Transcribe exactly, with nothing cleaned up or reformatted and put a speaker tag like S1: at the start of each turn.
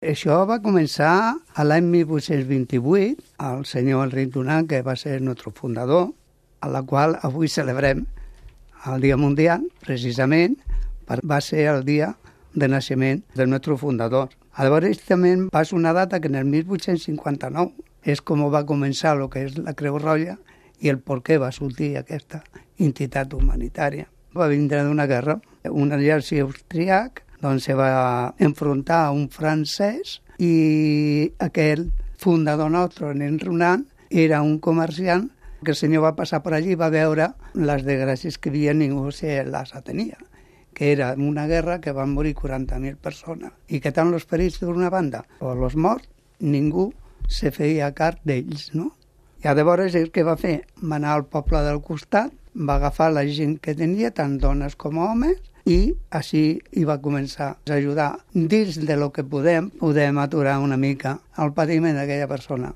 S1: Això va començar a l'any mil vuit-cents vint-i-vuit, el senyor Enric Dunant, que va ser el nostre fundador, a la qual avui celebrem el Dia Mundial, precisament, va ser el dia de naixement del nostre fundador. Llavors també passa una data que en el mil vuit-cents cinquanta-nou és com va començar el que és la Creu Roja i el per què va sortir aquesta entitat humanitària. Va vindre d'una guerra, un exèrcit austríac, doncs se va enfrontar a un francès i aquell fundador nostre, en Dunant, era un comerciant que el senyor va passar per allí i va veure les desgràcies que havia, ningú se les atenia, que era una guerra que van morir quaranta mil persones i que tant els ferits d'una banda o els morts, ningú se feia càrrec d'ells, no? I llavors el que va fer? Va anar al poble del costat, va agafar la gent que tenia, tant dones com homes, i així hi va començar a ajudar. Dins de lo que podem, podem aturar una mica el patiment d'aquella persona.